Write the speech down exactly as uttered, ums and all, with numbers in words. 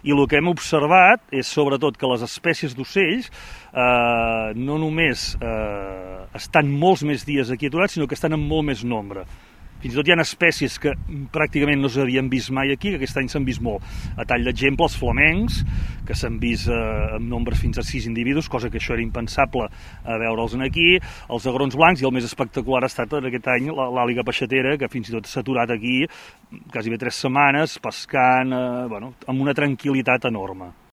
i el que hem observat és sobretot que les espècies d'ocells eh, no només eh, estan molts més dies aquí aturats, sinó que estan en molt més nombre. Fins i tot hi ha espècies que pràcticament no s'havien vist mai aquí, que aquest any s'han vist molt. A tall d'exemple, els flamencs, que s'han vist eh, en nombres fins a sis individus, cosa que això era impensable a veure'ls aquí, els agrons blancs, i el més espectacular ha estat aquest any l'àliga peixatera, que fins i tot s'ha aturat aquí quasi bé tres setmanes, pescant, eh, bueno, amb una tranquil·litat enorme.